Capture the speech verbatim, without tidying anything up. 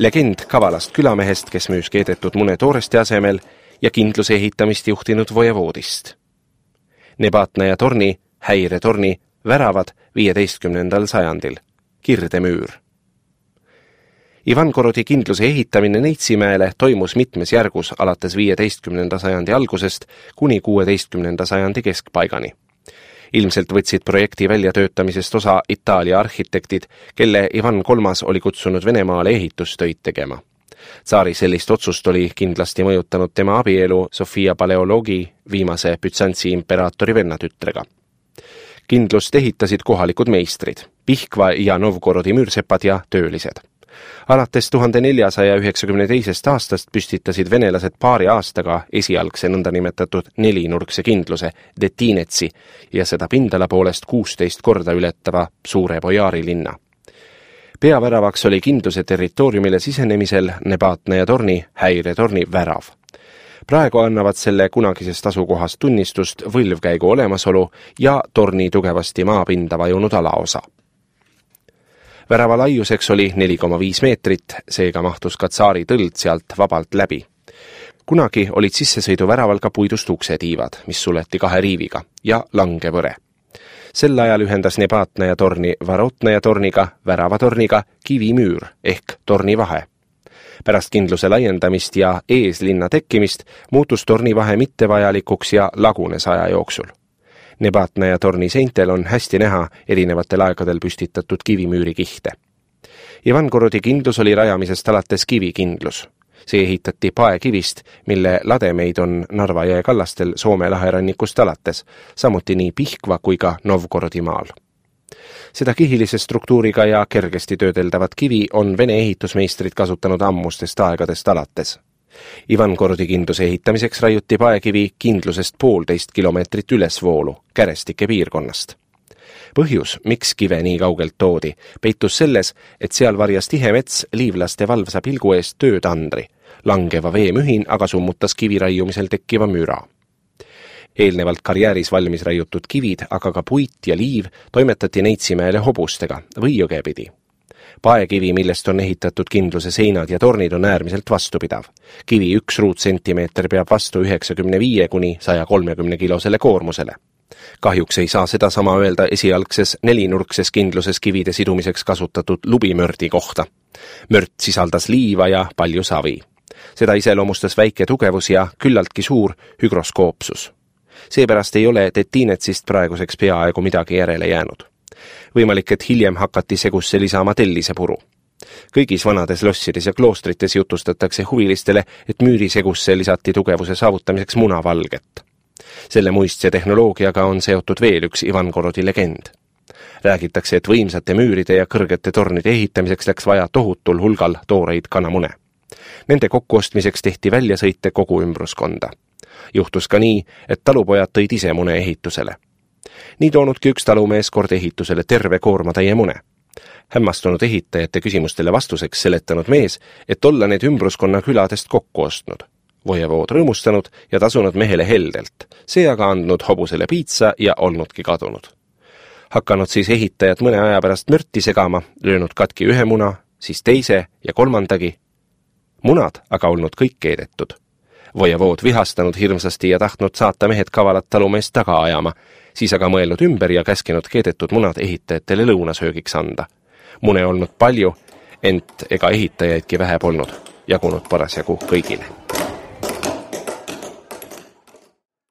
legend kavalast külamehest, kes müüs keedetud mune tooreste asemel ja kindluse ehitamist juhtinud vojevoodist. Nebatna ja torni, häiretorni, väravad viieteistkümnendal sajandil, kirdemüür. Ivankorodi kindluse ehitamine Neitsimäele toimus mitmes järgus alates viieteistkümnenda sajandi algusest kuni kuueteistkümnenda sajandi keskpaigani. Ilmselt võtsid projekti väljatöötamisest osa Itaalia arhitektid, kelle Ivan kolmas oli kutsunud Venemaale ehitustöid tegema. Tsaari sellist otsust oli kindlasti mõjutanud tema abielu Sofia Paleoloogi viimase Bütsantsi imperaatori vennatütrega. Kindlust ehitasid kohalikud meistrid, Pihkva ja Novgorodi müürsepad ja töölised. Alates tuhande neljasaja üheksakümne teisest aastast püstitasid venelased paari aastaga esialgse nõndanimetatud nelinurkse kindluse Detinetsi ja seda pindala poolest kuusteist korda ületava suure Bojaari linna. Peaväravaks oli kindluse territooriumile sisenemisel Nebatna ja torni, häiretorni värav. Praegu annavad selle kunagisest asukohast tunnistust võlvkäigu olemasolu ja torni tugevasti maapinda vajunud alaosa. Värava laiuseks oli neli koma viis meetrit, seega mahtus ka tsaari tõld sealt vabalt läbi. Kunagi olid sissesõiduväraval ka puidust uksetiivad, mis suleti kahe riiviga, ja langevõre. Sel ajal ühendas Nebatna ja torni Varotna ja torniga, väravatorniga kivimüür ehk torni vahe. Pärast kindluse laiendamist ja eeslinna tekkimist muutus torni vahe mittevajalikuks ja lagunes aja jooksul. Nebatna ja torni seintel on hästi näha erinevatel aegadel püstitatud kivimüüri kihte. Ivankorodi kindlus oli rajamisest alates kivikindlus. See ehitati paekivist, mille lademeid on Narva jõe kallastel Soome laherannikust alates, samuti nii Pihkva kui ka Novgorodi maal. Seda kihilise struktuuriga ja kergesti töödeldavat kivi on vene ehitusmeistrid kasutanud ammustest aegadest alates. Ivankorodi kindluse ehitamiseks raiuti paekivi kindlusest poolteist kilomeetrit ülesvoolu, Kärestike piirkonnast. Põhjus, miks kive nii kaugelt toodi, peitus selles, et seal varjas tihe mets liivlaste valvsa pilgu eest töötandri. Langeva veemühin aga summutas kivi raiumisel tekkiva müra. Eelnevalt karjääris valmis raiutud kivid, aga ka puit ja liiv toimetati Neitsimäele hobustega või jõgepidi. Paekivi, millest on ehitatud kindluse seinad ja tornid, on äärmiselt vastupidav. Kivi üks ruutsentimeeter peab vastu üheksakümne viie kuni saja kolmekümne kilosele koormusele. Kahjuks ei saa seda sama öelda esialgses nelinurkses kindluses kivide sidumiseks kasutatud lubimördi kohta. Mört sisaldas liiva ja palju savi. Seda iseloomustas väike tugevus ja küllaltki suur hygroskoopsus. Seepärast ei ole Detinetsist praeguseks peaaegu midagi järele jäänud. Võimalik, et hiljem hakati segusse lisama tellisepuru. Kõigis vanades lossides ja kloostrites jutustatakse huvilistele, et müüri segusse lisati tugevuse saavutamiseks munavalget. Selle muistse tehnoloogiaga on seotud veel üks Ivankorodi legend. Räägitakse, et võimsate müüride ja kõrgete tornide ehitamiseks läks vaja tohutul hulgal tooreid kanamune. Nende kokkuostmiseks tehti väljasõite kogu ümbruskonda. Juhtus ka nii, et talupojad tõid ise mune ehitusele. Nii toonudki üks talumees kord ehitusele terve koormatäie mune. Hämmastunud ehitajate küsimustele vastuseks seletanud mees, et olla need ümbruskonna küladest kokku ostnud. Vojevood rõõmustanud ja tasunud mehele heldelt, see aga andnud hobusele piitsa ja olnudki kadunud. Hakanud siis ehitajad mõne aja pärast mörti segama, löönud katki ühe muna, siis teise ja kolmandagi. Munad aga olnud kõik keedetud. Vojevood vihastanud hirmsasti ja tahtnud saata mehed kavalat talumeest taga ajama, siis aga mõelnud ümber ja käskinud keedetud munad ehitajatele lõunasöögiks anda. Mune olnud palju, ent ega ehitajaidki vähe polnud, jagunud parasjagu kõigile.